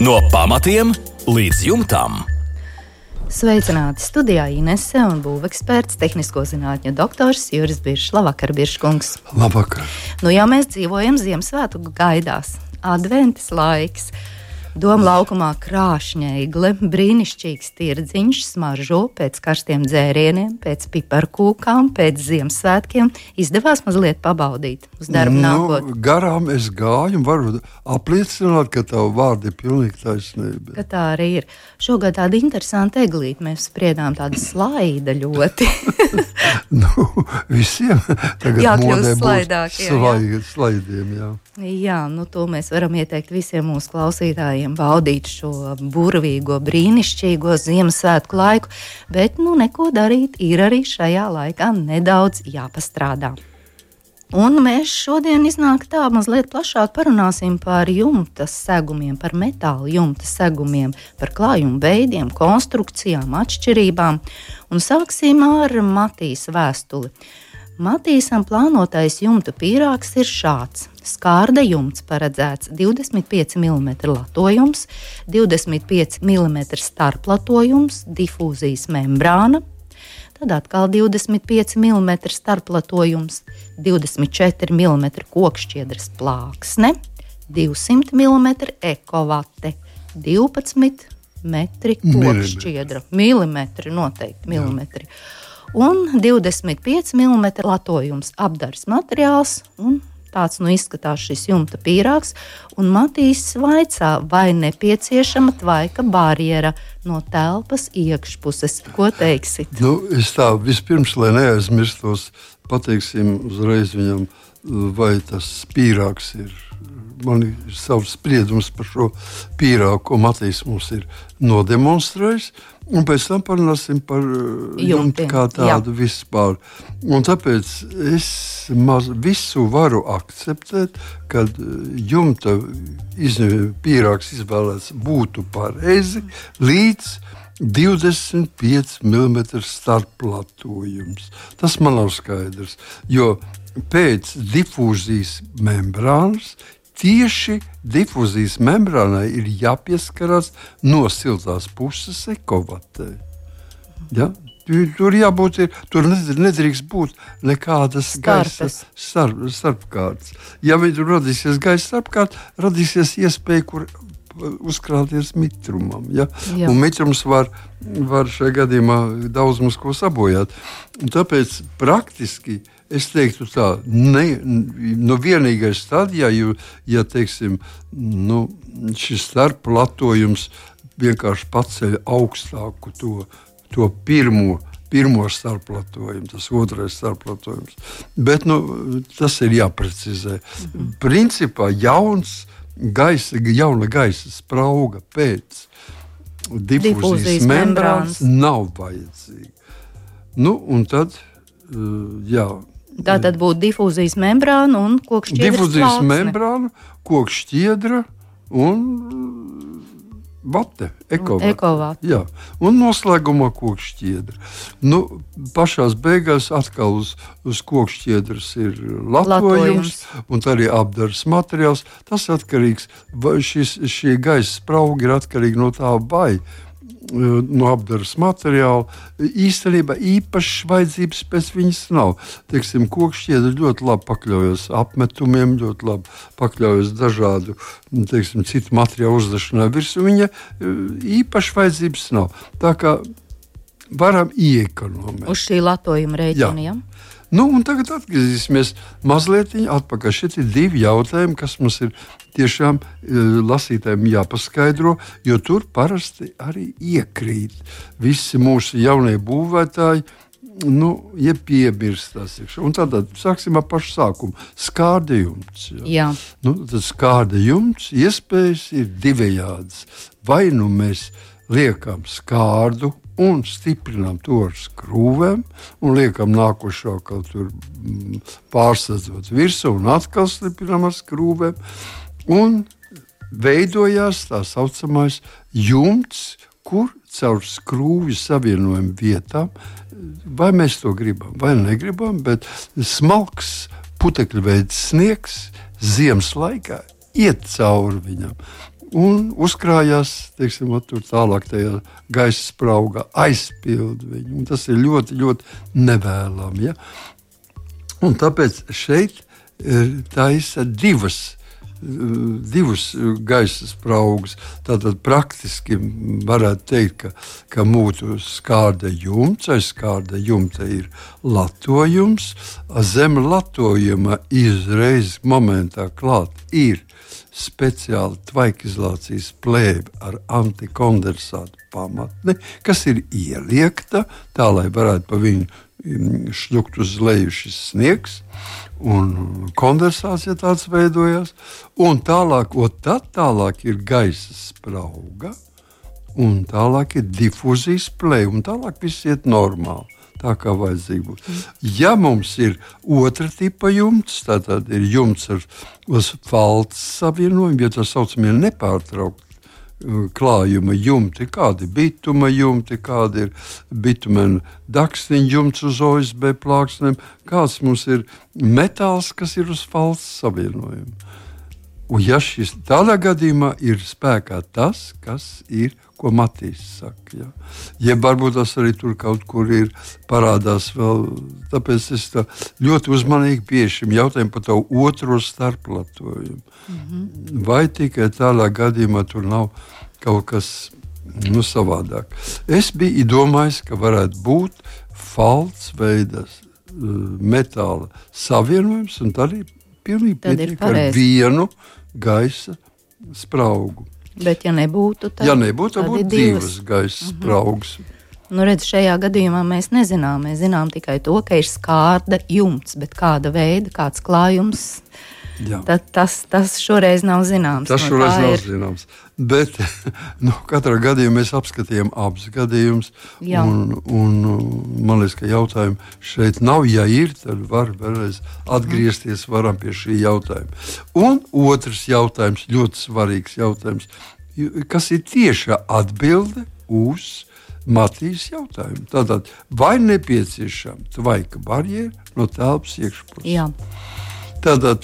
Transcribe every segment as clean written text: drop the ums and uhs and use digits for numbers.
No pamatiem līdz jumtam. Sveicināti studijā Inese un būveksperts, tehnisko zinātņu doktors Juris Biršs. Labvakar, Birškungs. Labvakar. Nu jau mēs dzīvojam Ziemassvētku gaidās. Adventas laiks. Doma laukumā krāšņeigle, brīnišķīgs tirdziņš, smaržo pēc karstiem dzērieniem, pēc piparkūkām, pēc Ziemassvētkiem. Izdevās mazliet pabaudīt uz darbu nākotnē. Garām es gāju un varu apliecināt, ka tavu vārdu ir pilnīgi taisnība. Ka tā arī ir. Šogad tāda interesanta eglīte. Mēs spriedām tādu slaida ļoti. Visiem tagad jākļūst slaidāk, slaidiem, jā. Jā, to mēs varam ieteikt visiem mūsu klausītājiem baudīt šo burvīgo, brīnišķīgo Ziemassvētku laiku, bet neko darīt ir arī šajā laikā nedaudz jāpastrādā. Un mēs šodien iznāk tā mazliet plašāk parunāsim par jumta segumiem, par metāla jumta segumiem, par klājumu veidiem, konstrukcijām, atšķirībām. Un sāksim ar Matīs vēstuli. Matīsam plānotais jumta pīrāgs ir šāds. Skārda jumts paredzēts 25 mm latojums, 25 mm starplatojums, difūzijas membrāna, tad atkal 25 mm starplatojums, 24 mm kokšķiedras plāksne, 200 mm ekovate, 12 metri kokšķiedra, milimetri noteikti, milimetri. Un 25 mm latojums apdars materiāls, un tāds izskatās šis jumta pīrāgs. Un Matīs vaicā, vai nepieciešama tvaika barjera no telpas iekšpuses. Ko teiksit? Es tā vispirms, lai neaizmirstos, pateiksim uzreiz viņam, vai tas pīrāgs ir. Man ir savs spriedums par šo pīrāgu, ko Matīs mums ir nodemonstrējis. Un pēc tam parunāsim par jumtu kā tādu vispār. Un tāpēc es visu varu akceptēt, kad jumta pīrāgs izvēlēts būtu pareizi līdz 25 mm starplatojums. Tas man nav skaidrs, jo pēc difūzijas membrānas tieši difūzijas membrānai ir jāpieskarās no siltās puses ekovatei. Ja? Tur jābūt, tur nedrīkst būt nekādas gaisa starpkārtas. Ja tur radīsies gaisa starpkārt, radīsies iespēja, kur uzkrāties mitrumam. Ja? Un mitrums var šajā gadījumā daudz mums ko sabojāt. Un tāpēc praktiski es teiktu tā, vienīgais tad, ja teiksim, šis starplatojums vienkārši paceļ augstāku to pirmo starplatojumu, tas otrais starplatojums. Bet tas ir jāprecizē. Principā jauna gaisa sprauga pēc difūzijas membrānas nav vajadzīga. Un tad, Tā tad būtu difūzijas membrāna un kokšķiedras plāksne. Difūzijas membrāna, kokšķiedra un vate, ekovate. Jā. Un noslēgumā kokšķiedra. Pašās beigās atkal uz kokšķiedras ir latojums un tā arī apdars materiāls. Tas atkarīgs, šie gaisa spraugi ir atkarīgi no tā vai no apdaras materiāla. Īstenībā īpašas vajadzības pēc viņas nav. Teiksim, kokšķiedra ļoti labi pakļaujas apmetumiem, ļoti labi pakļaujas dažādu, citu materiālu uzdešanai virsū. Viņa īpašas vajadzības nav. Tā kā varam iekonomēt. Uz šī latojuma rēķina, ja? Un tagad atgriezīsimies mazliet atpakaļ. Šeit ir divi jautājumi, kas mums ir tiešām lasītājiem jāpaskaidro, jo tur parasti arī iekrīt visi mūsu jaunie būvētāji, piemirstās. Un tad sāksim ar pašu sākumu. Skārda jumts. Jā. Tad skārda jumts iespējas ir divējādas. Vai mēs liekam skārdu un stiprinām to ar skrūvēm un liekam nākošo kaut tur pārsadzot virsū un atkal stiprinām ar skrūvēm. Un veidojās tā saucamais jumts, kur caur skrūvju savienojumu vietām, vai mēs to gribam, vai negribam, bet smalks putekļveids sniegs ziemas laikā iet cauri viņam. un uzkrājās, teiksim, tur tālāk tajā gaisa spraugā, aizpilda viņu. Un tas ir ļoti, ļoti nevēlami. Ja? Un tāpēc šeit taisa divus gaisa spraugus. Tātad praktiski varētu teikt, ka mūtu skārda jumts, aiz skārda jumta ir latojums. Zem latojuma izreiz momentā klāt ir speciāla tvaikizolācijas plēve ar antikondensātu pamatni, kas ir ieliekta tā, lai varētu pa viņu šļukt uz leju šis sniegs un kondensācija tāds veidojās. Un tālāk ir gaisa sprauga un tālāk ir difūzijas plēve un tālāk viss iet normāli. Tā kā vajadzīgi būs. Ja mums ir otra tipa jumts, tad ir jumts uz falts savienojumu, ja tā saucamie nepārtraukti klājuma jumti, kādi bituma jumti, kādi ir bitumena dakstiņa jumts uz OSB plāksnēm, kāds mums ir metāls, kas ir uz falts savienojumu. Un ja šis tādā gadījumā ir spēkā tas, kas ir, ko Matīs saka. Ja? Jeb varbūt tas arī tur kaut kur ir parādās vēl, tāpēc es tā ļoti uzmanīgi pie šim jautājumu par to otro starplatojumu. Vai tikai tādā gadījumā tur nav kaut kas savādāk. Es biju domājis, ka varētu būt falts veidas metāla savienojums, un tad ir pilnīgi pietiek ar vienu gaisa spraugu. Bet, ja nebūtu, tad būtu divas gaisa spraugas. Nu, redz, šajā gadījumā mēs nezinām. Mēs zinām tikai to, ka ir skārda jumts, bet kāda veida, kāds klājums, tas šoreiz nav zināms. Tas šoreiz nav zināms. Bet katrā gadījumā mēs apskatījām abus gadījumus. Un man liekas, ka jautājumu šeit nav. Ja ir, tad var vēlreiz atgriezties varam pie šī jautājuma. Un otrs jautājums, ļoti svarīgs jautājums, kas ir tieša atbilde uz Matīs jautājumu. Tātad, vai nepieciešama tvaika barjera no telpas iekšpuses? Jā. Tātad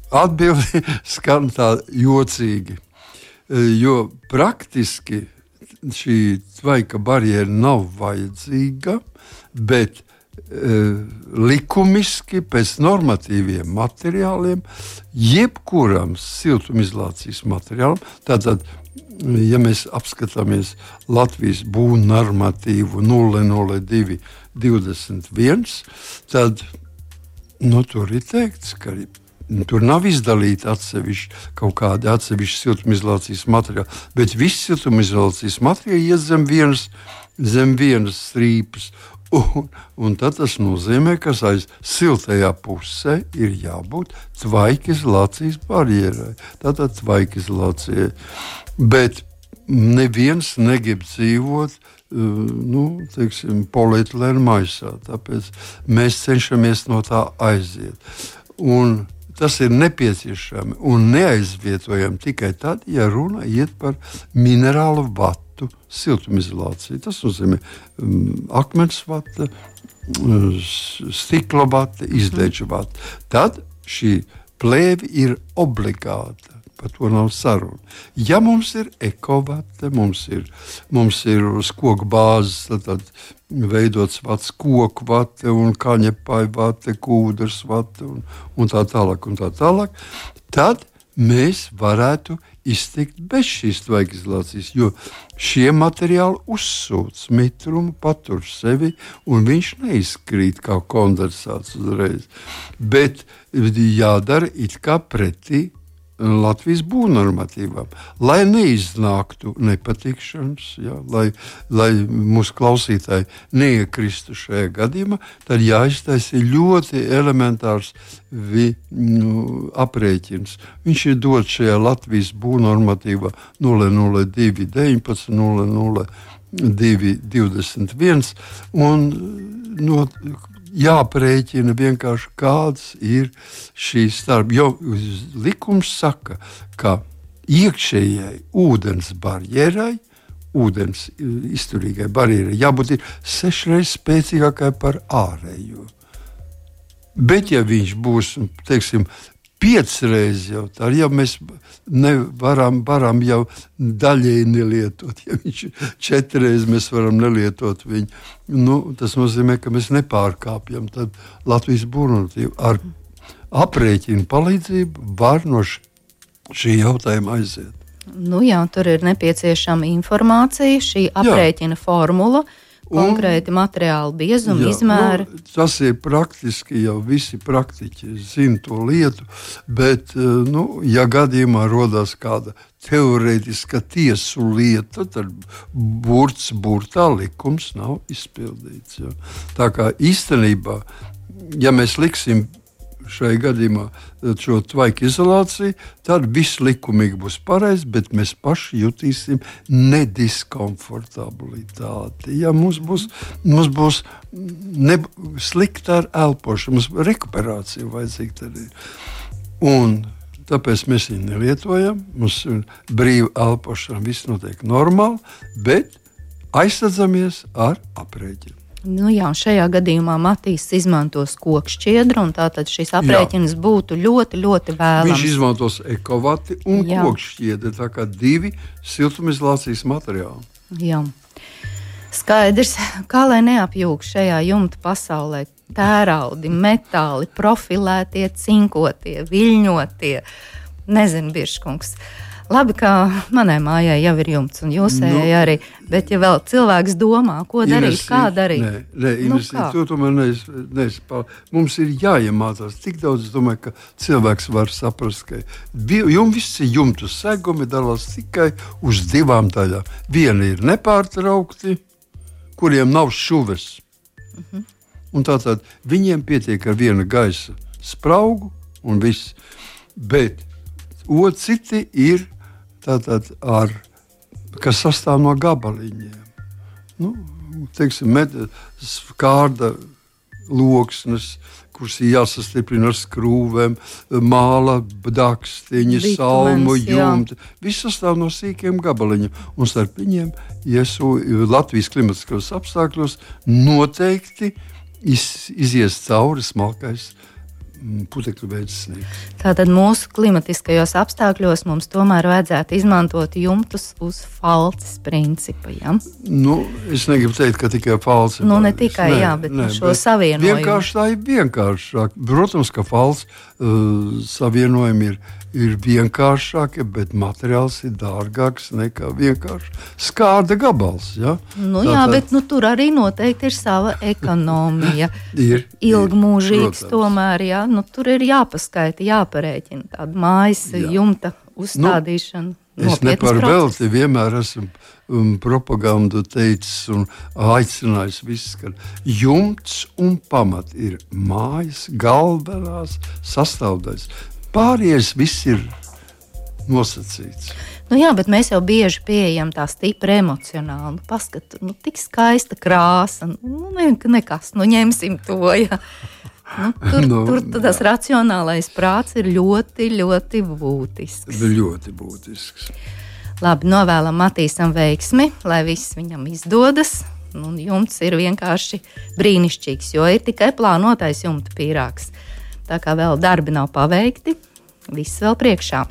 atbildi skan tā jocīgi. Jo praktiski šī tvaika barjera nav vajadzīga, bet likumiski pēc normatīviem materiāliem, jebkuram siltumizolācijas materiālam, tātad, ja mēs apskatāmies Latvijas būvnormatīvu 00221, tad tur ir teikts, ka tur nav izdalīti kaut kādi atsevišķi siltumizolācijas materiāli, bet visi siltumizolācijas materiāli iet zem vienas strīpas. Un tad tas nozīmē, ka aiz siltajā pusē ir jābūt tvaikizolācijas barjerai. Tātad tvaikizolācijai. Bet neviens negrib dzīvot polietilēna maisā. Tāpēc mēs cenšamies no tā aiziet. Un tas ir nepieciešami un neaizvietojami tikai tad, ja runa iet par minerālu vatu siltumizolāciju. Tas nozīmē akmens vata, stikla vata, izdēča vata. Tad šī plēve ir obligāta. Par to nav saruna. Ja mums ir ekovate, mums ir uz koku bāzes tad veidots vats, koku vate un kaņepāju vate, kūdras vate un tā tālāk, tad mēs varētu iztikt bez šīs tvaikizolācijas, jo šie materiāli uzsūc mitrumu, patur sevi un viņš neizkrīt kā kondensāts uzreiz. Bet jādara it kā pretī Latvijas būvnormatīvām, lai neiznāktu nepatikšanas, lai mūsu klausītāji neiekristu šajā gadījumā, tad jāiztaisa ļoti elementārs aprēķins. Viņš ir dots šajā Latvijas būvnormatīvā 00219, 00221 un jāprēķina vienkārši kāds ir šīs starp. Jo likums saka, ka iekšējai ūdens barjerai, ūdens izturīgai barjerai jābūt 6 reizes spēcīgākai par ārējo. Bet ja viņš būs, teiksim, 5 reizes jau tā, ja mēs varam jau daļēji nelietot, ja viņš 4 reizes mēs varam nelietot viņu, tas nozīmē, ka mēs nepārkāpjam tad Latvijas burvnormatīvu. Ar aprēķinu palīdzību var no šī jautājuma aiziet. Jā, tur ir nepieciešama informācija, šī aprēķina formula, konkrēti materiāli biezumi, izmēri. Tas ir praktiski, jau visi praktiķi zina to lietu, bet, ja gadījumā rodās kāda teorētiska tiesu lieta, tad burtā likums nav izpildīts. Ja. Tā kā īstenībā, ja mēs liksim šai gadījumā šo tvaiku izolāciju, tad viss likumīgi būs pareizi, bet mēs paši jutīsim nediskomfortabilitāti. Ja mums būs slikta ar elpošanu, mums rekuperācija vajadzīga tad ir. Un tāpēc mēs viņu nelietojam, mums ir brīva elpošana, viss notiek normāli, bet aizsadzamies ar aprēķinu. Jā, šajā gadījumā Matīs izmantos kokšķiedru, un tātad šis aprēķins būtu ļoti, ļoti vēlams. Viņš izmantos ekovati un kokšķiedru, tā kā 2 siltumizolācijas materiāli. Jā. Skaidrs, kā lai neapjūg šajā jumta pasaulē tēraudi, metāli, profilētie, cinkotie, viļņotie, nezinu, Birškungs. Labi, ka manai mājai jau ir jumts, un jūsējai arī, bet ja vēl cilvēks domā, ko darīt, kā darīt? To tomēr mums ir jāiemācās. Tik daudz, es domāju, ka cilvēks var saprast, ka visi jumtu segumi dalās tikai uz 2 daļām. Viena ir nepārtraukti, kuriem nav šuves. Un tātad viņiem pietiek ar viena gaisa spraugu un viss. Bet citi ir tātad kas sastāv no gabaliņiem. Teiksim, skārda loksnes, kuras ir jāsastiprina ar skrūvēm, māla, dakstiņi, salmu, jumti. Viss sastāv no sīkiem gabaliņiem. Un starp viņiem, Latvijas klimatiskos apstākļos, noteikti izies cauri smalkais putekļu veids sniegs. Tātad mūsu klimatiskajos apstākļos mums tomēr vajadzētu izmantot jumtus uz falces principa, ja? Es negribu teikt, ka tikai falce. Ne tikai, bet šo savienojumu. Vienkārši tā ir vienkāršāk. Protams, ka falce savienojumi ir vienkāršāki, bet materiāls ir dārgāks nekā vienkārši skārda gabals. Ja? Bet tur arī noteikti ir sava ekonomija. Ilgmūžīgs tomēr, ja? Tur ir jāpaskaita, jāparēķina tāda mājas jumta uzstādīšana. Es neparvelti vienmēr esmu propagandu teicis un aicinājis visus, ka jumts un pamat ir mājas galvenās sastāvdaļas. Pārējais viss ir nosacīts. Bet mēs jau bieži pieejam tā stipri emocionāli. Paskat, tik skaista krāsa. Nekas, ņemsim to, ja. Tur tas racionālais prāts ir ļoti, ļoti būtisks. Ļoti būtisks. Labi, novēlam Matīsam veiksmi, lai viss viņam izdodas. Jumts ir vienkārši brīnišķīgs, jo ir tikai plānotais jumta pīrāgs. Tā kā vēl darbi nav paveikti, viss vēl priekšā.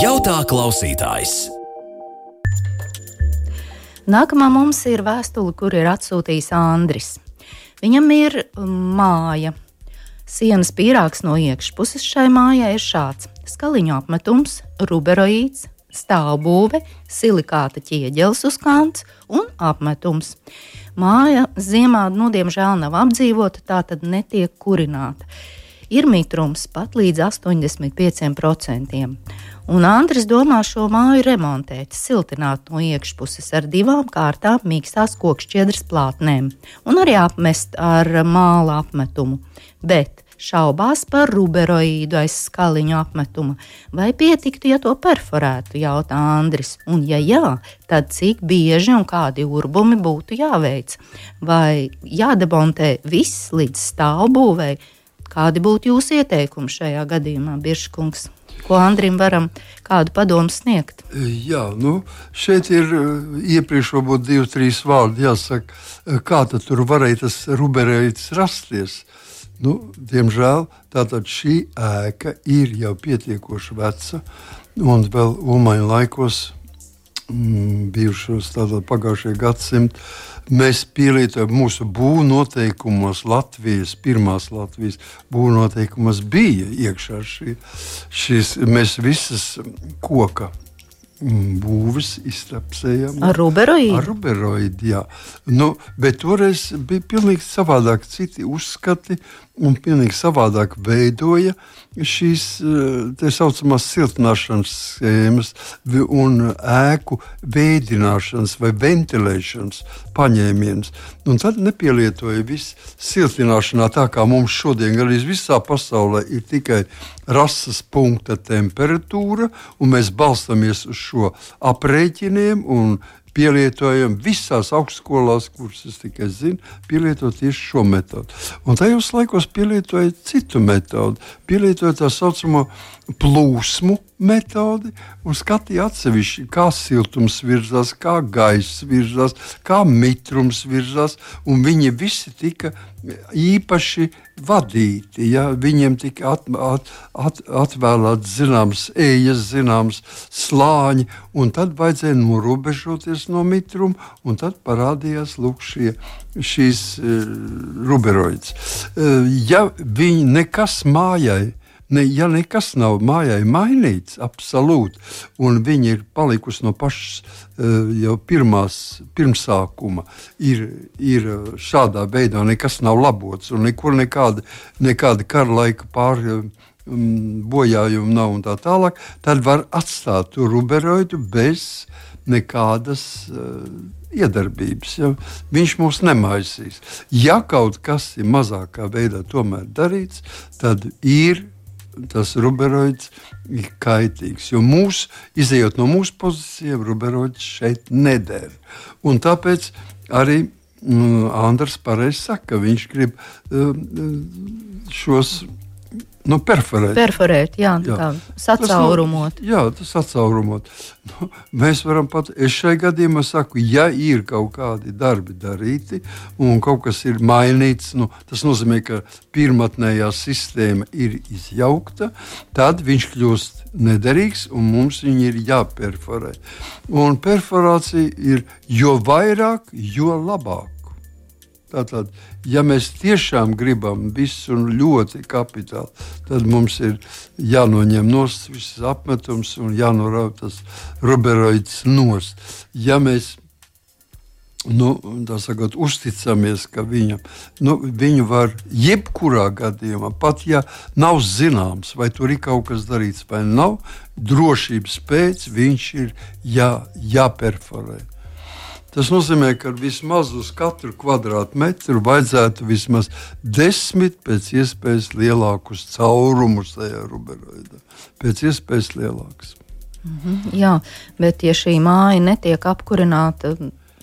Jautā klausītājs. Nākamā mums ir vēstule, kur ir atsūtījis Andris. Viņam ir māja. Sienas pīrāgs no iekšpuses šai mājai ir šāds. Skaliņu apmetums, ruberoīds, stāvbūve, silikāta ķieģelis uz kants un apmetums. Māja ziemā, diemžēl nav apdzīvota, tā tad netiek kurināta. Ir mitrums pat līdz 85%. Un Andris domā šo māju remontēt, siltināt no iekšpuses ar 2 kārtām mīkstās kokšķiedras plātnēm un arī apmest ar māla apmetumu. Bet šaubās par ruberoīdu aiz skaliņu apmetuma. Vai pietiktu, ja to perforētu, jautā Andris? Un ja jā, tad cik bieži un kādi urbumi būtu jāveic? Vai jādemontē viss līdz stāvbūvei? Kādi būtu jūsu ieteikumi šajā gadījumā, Birškungs? Ko Andrim varam kādu padomu sniegt? Jā, šeit ir iepriekš varbūt 2-3 vārdi jāsaka, kā tad tur varēja tas ruberoīds rasties. Diemžēl tātad šī ēka ir jau pietiekoši veca, un vēl Ulmaņa laikos, bijušos tātad pagājušajā gadsimtā, mēs pielietojam mūsu būvnoteikumos pirmās Latvijas būvnoteikumos bija iekšā šīs, mēs visas koka būvis iztrapsējām. Ar ruberoīdu? Ar ruberoīdu, jā. Bet toreiz bija pilnīgi savādāk citi uzskati un pilnīgi savādāk veidoja šīs tā saucamās siltināšanas schēmas un ēku veidināšanas vai ventilēšanas paņēmienus. Un tad nepielietoja visu siltināšanā tā, kā mums šodien arī visā pasaulē ir tikai rases punkta temperatūra, un mēs balstamies uz šo aprēķiniem un pielietojam visās augstskolās, kuras es tikai zinu, pielietot tieši šo metodu. Un tajos laikos pielietoja citu metodu, pielietoja tā saucamo plūsmu metodi un skatīja atsevišķi, kā siltums virzās, kā gaiss virzās, kā mitrums virzās, un viņi visi tika īpaši vadīti. Ja? Viņiem tika atvēlēts zināms ejas, zināms slāņi, un tad vajadzēja norobežoties no mitruma, un tad parādījās lūk šīs ruberoids. Ja viņi nekas mājai, ja nekas nav mājai mainīts, absolūti, un viņi ir palikusi no pašas jau pirmsākuma, ir šādā veidā nekas nav labots, un nekur nekāda kara laika bojājumi nav un tā tālāk, tad var atstāt to ruberoidu bez nekādas iedarbības. Ja? Viņš mūs nemaisīs. Ja kaut kas ir mazākā veidā tomēr darīts, tad tas ruberoids ir kaitīgs, jo izejot no mūsu pozīcijiem, ruberoids šeit neder. Un tāpēc arī Andrs pareizi saka, ka viņš grib šos perforēt. Perforēt, jā. Kā sacaurumot. Tas sacaurumot. Mēs varam es šai gadījumā saku, ja ir kaut kādi darbi darīti un kaut kas ir mainīts, tas nozīmē, ka pirmatnējā sistēma ir izjaukta, tad viņš kļūst nederīgs un mums viņi ir jāperforē. Un perforācija ir jo vairāk, jo labāk. Tātad, ja mēs tiešām gribam visu un ļoti kapitāli, tad mums ir jānoņem nost visas apmetums un jānorauj tas ruberoids nost. Ja mēs uzticamies, ka viņu var jebkurā gadījumā, pat ja nav zināms, vai tur ir kaut kas darīts vai nav, drošības pēc viņš ir jāperforē. Tas nozīmē, ka vismaz uz katru kvadrātmetru vajadzētu vismaz 10 pēc iespējas lielākus caurumus tajā ruberoidā. Pēc iespējas lielākus. Jā, bet ja šī māja netiek apkurināta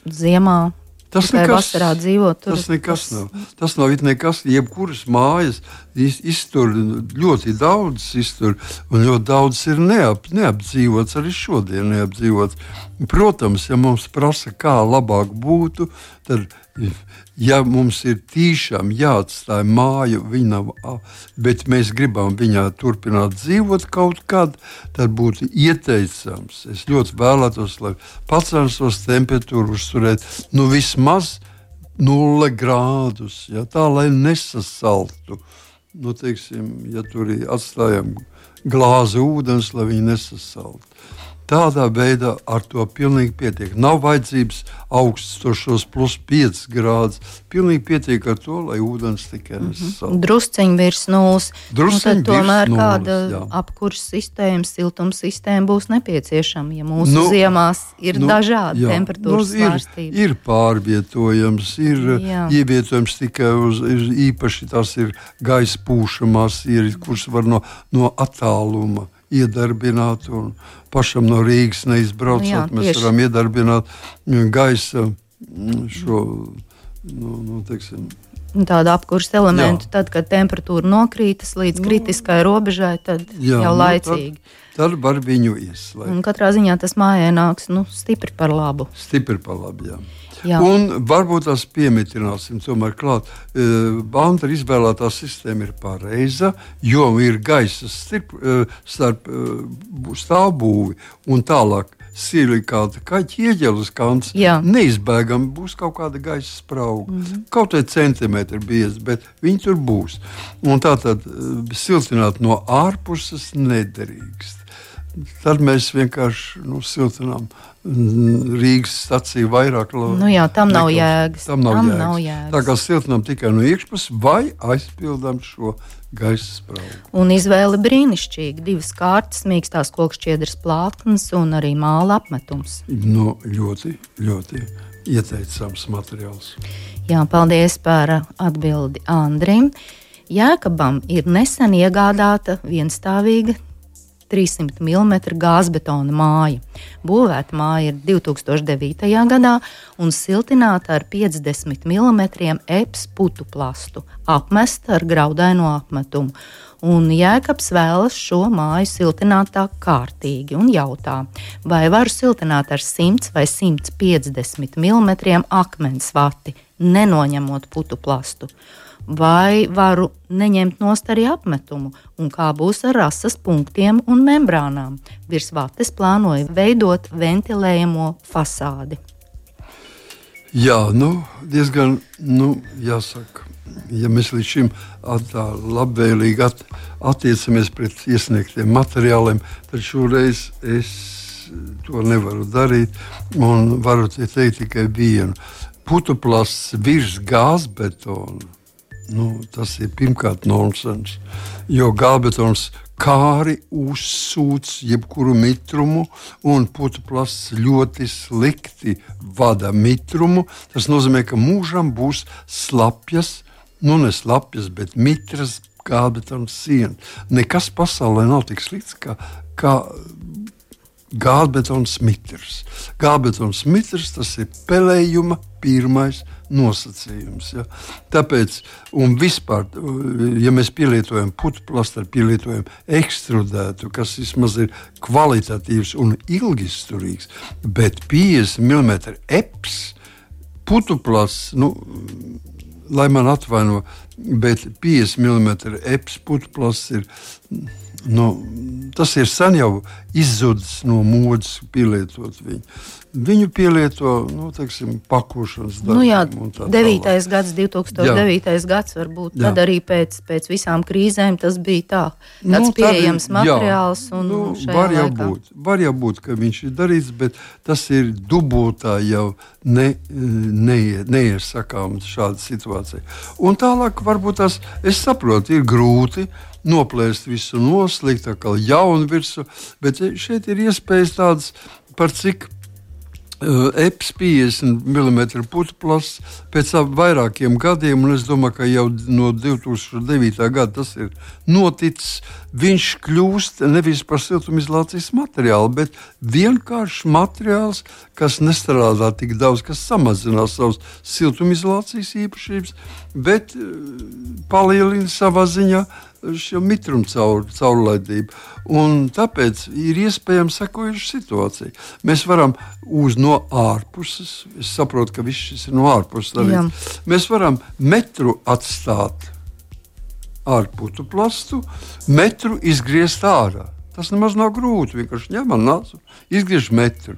ziemā, tikai vasarā dzīvot, tas nekas nav. Tas nav nekas, jebkuras mājas iztur ļoti daudz, un ļoti daudz ir neapdzīvots, arī šodien neapdzīvots. Protams, ja mums prasa, kā labāk būtu, tad, ja mums ir tīšām jāatstāj māju, bet mēs gribam viņā turpināt dzīvot kaut kad, tad būtu ieteicams. Es ļoti vēlētos, lai pacenstos temperatūru uzturēt vismaz 0 grādus, tā lai nesasaltu. Ja tur atstājam glāzi ūdens, lai viņi nesasaltu. Tādā veidā ar to pilnīgi pietiek. Nav vajadzības augstošos +5 grādus. Pilnīgi pietiek ar to, lai ūdens tikai nesasaltu. Drusciņi virs nulles. Tad tomēr kāda apkurs sistēma, siltums sistēma būs nepieciešama, ja mūsu ziemās ir dažādi temperatūras svārstības. Ir pārvietojams, ir ievietojams tikai īpaši tās ir gaisa pūšamās, kuras var no attāluma iedarbināt, un pašam no Rīgas neizbraucot, mēs varam iedarbināt gaisa šo, tādu apkurses elementu, tad, kad temperatūra nokrītas līdz kritiskai robežai, tad jau laicīgi. Tad var viņu ieslēgt. Un katrā ziņā tas mājai nāks stipri par labu. Stipri par labu, jā. Un varbūt tās piemitināsim tomēr klāt. Banta izvēlētā sistēma ir pareiza, jo ir gaisa starp stāvbūvi un tālāk silikāta ķieģeles kants. Neizbēgami būs kaut kāda gaisa sprauga. Kaut vai centimetri biezi, bet viņi tur būs. Un tātad siltināt no ārpuses nederīgst. Tad mēs vienkārši siltinām Rīgas staciju vairāk. Tam nav jēgas. Tam nav jēgas. Tā kā siltinām tikai no iekšpuses vai aizpildām šo gaisa spraugu. Un izvēle brīnišķīga. 2 kārtas, mīkstās kokšķiedras plātnes un arī māla apmetums. Ļoti, ļoti ieteicams materiāls. Jā, paldies par atbildi Andrim. Jēkabam ir nesen iegādāta vienstāvīga 300 mm gāzbetona māja. Būvēta māja ir 2009. gadā un siltināta ar 50 mm EPS putu plastu, apmesta ar graudaino apmetumu. Un Jēkabs vēlas šo māju siltināt tā kārtīgi un jautā, vai varu siltināt ar 100 vai 150 mm akmens vati, nenoņemot putu plastu. Vai varu neņemt nost arī apmetumu, un kā būs ar rasas punktiem un membrānām. Virs vates plānoju veidot ventilējamo fasādi. Jā, diezgan, jāsaka, ja mēs līdz šim tā labvēlīgi attiecamies pret iesniegtiem materiāliem, tad šoreiz es to nevaru darīt, un varu teikt tikai vienu. Putuplasts virs gāzbetona. Tas ir pirmkārt nonsens, jo gāzbetons kāri uzsūc jebkuru mitrumu, un putuplasts ļoti slikti vada mitrumu. Tas nozīmē, ka mūžam būs slapjas, ne slapjas, bet mitras gāzbetona siena. Nekas pasaulē nav tik slikts kā gāzbetons mitrs. Gāzbetons mitrs, tas ir pelējuma pirmais nosacījums. Ja? Tāpēc, un vispār, ja mēs pielietojam putuplastu, pielietojam ekstrudētu, kas vismaz ir kvalitatīvs un ilgisturīgs, bet 50 mm EPS putuplasts, lai man atvaino, bet 50 mm EPS putuplasts ir, tas ir sen jau izzudis no modes pielietot viņu. Viņu pielieto, pakošanas darbiem. 2009. gads varbūt, tad arī pēc visām krīzēm tas bija tāds pieejams materiāls. Var jau būt, ka viņš ir darīts, bet tas ir dubultā jau neiesakām šāda situācija. Un tālāk varbūt es saprotu, ir grūti noplēst visu noslikt, atkal jaunu virsu, bet šeit ir iespējas tādas, par cik EPS 50 mm putuplasts pēc vairākiem gadiem, un es domāju, ka jau no 2009. gada tas ir noticis. Viņš kļūst nevis par siltumizolācijas materiālu, bet vienkārši materiāls, kas nestrādā tik daudz, kas samazinās savas siltumizolācijas īpašības, bet palielina savā ziņā šo mitrumu caurlaidību. Un tāpēc ir iespējams sekojuša situācija. Mēs varam no ārpuses, es saprotu, ka viss šis ir no ārpuses darīts. Mēs varam metru atstāt ar putuplastu, metru izgriezt ārā. Tas nemaz nav grūti, vienkārši ņemam nācu, izgriež metru.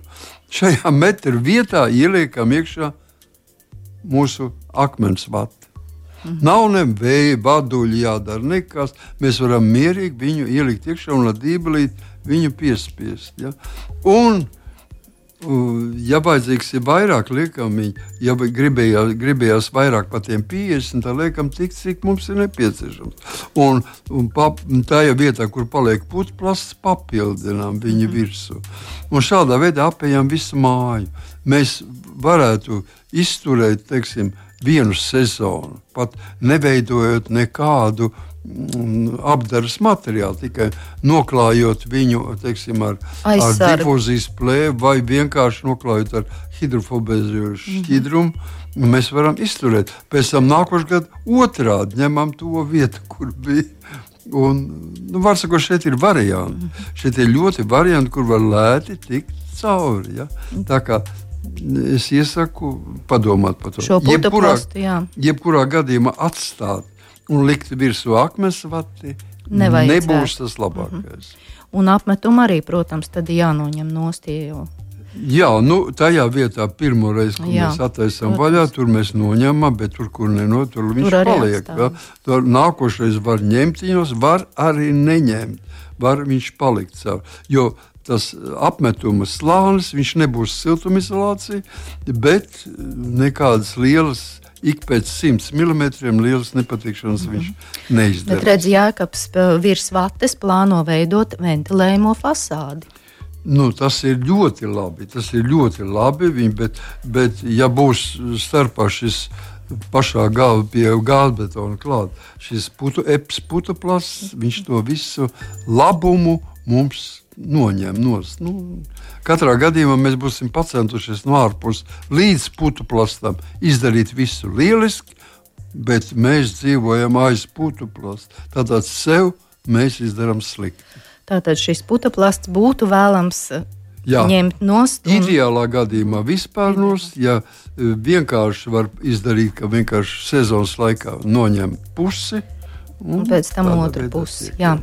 Šajā metru vietā ieliekam iekšā mūsu akmens vati. Nav ne vēja, vaduļi jādara nekas. Mēs varam mierīgi viņu ielikt iekšā un ar dībelīt viņu piespiest. Ja? Un, ja vajadzīgs ir vairāk, liekam viņu, ja gribējās vairāk par tiem 50, tad liekam tik, cik mums ir nepieciešams. Un tajā vietā, kur paliek putuplasts, papildinām viņu virsū. Un šādā veidā apējam visu māju. Mēs varētu izturēt, vienu sezonu, pat neveidojot nekādu apdares materiālu, tikai noklājot viņu, teiksim, ar difūzijas plēvi vai vienkārši noklājot ar hidrofobēzējošu šķidrumu, mēs varam izturēt. Pēc tam nākošais gads otrādi ņemam to vietu, kur bija. Un, var sakot, šeit ir varianti. Šeit ir ļoti varianti, kur var lēti tikt cauri. Ja? Tā kā es iesaku padomāt par to. Šo putuplastu, jā. Jebkurā gadījumā atstāt un likt virsū akmensvati nebūs tas labākais. Un apmetumu arī, protams, tad jānoņem nost, jo... Jā, tajā vietā pirmo reizi, kad mēs attaisam vaļā, tur mēs noņemam, bet tur, kur tur viņš paliek. Ja? Tur nākošais var ņemt viņos, var arī neņemt. Var viņš palikt caur. Jo tas apmetuma slānis, viņš nebūs siltumizolācija, bet nekādas lielas ik pēc 100 mm lielas nepatikšanas viņš neizdarīs. Bet redz, Jēkabs virs vates plāno veidot ventilējumu fasādi. Tas ir ļoti labi, bet ja būs starpā šis pašā galva pie gāzbetona klāt, šis putuplasts, viņš to visu labumu mums noņem nost. Katrā gadījumā mēs būsim pacentušies no ārpus līdz putuplastam izdarīt visu lieliski, bet mēs dzīvojam aiz putuplasta. Tātad sev mēs izdarām slikti. Tātad šis putuplasts būtu vēlams ņemt nost. Ideālā gadījumā vispār nost, ja vienkārši var izdarīt, ka vienkārši sezonas laikā noņem pusi, un pēc tam otru pusi. Jā.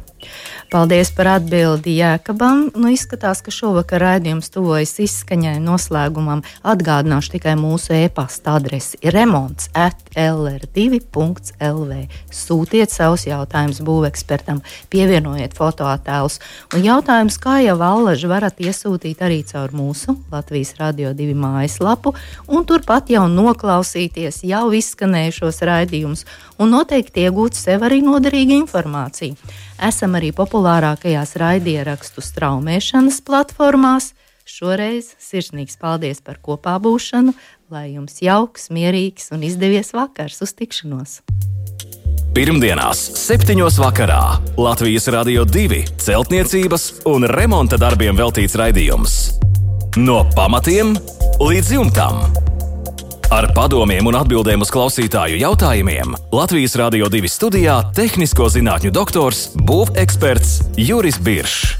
Paldies par atbildi Jēkabam. Izskatās, ka šovakar raidījums tuvojas izskaņai noslēgumam. Atgādināšu tikai mūsu e-pasta adresi remonts@lr2.lv. Sūtiet savus jautājumus būvekspertam, pievienojiet fotoattēlus. Un jautājums, kā jau allaži, varat iesūtīt arī caur mūsu Latvijas Radio 2 mājaslapu un turpat jau noklausīties jau izskanējušos raidījumus un noteikti iegūt sev arī noderīgu informāciju. Esam arī populārākajās raidierakstu straumēšanas platformās. Šoreiz sirsnīgs paldies par kopā būšanu, lai jums jauks, mierīgs un izdevies vakars. Uz tikšanos! Pirmdienās 7:00 vakarā Latvijas Radio 2 celtniecības un remonta darbiem veltīts raidījums. No pamatiem līdz jumtam. Ar padomiem un atbildēm uz klausītāju jautājumiem Latvijas Radio 2 studijā tehnisko zinātņu doktors, būveksperts Juris Biršs.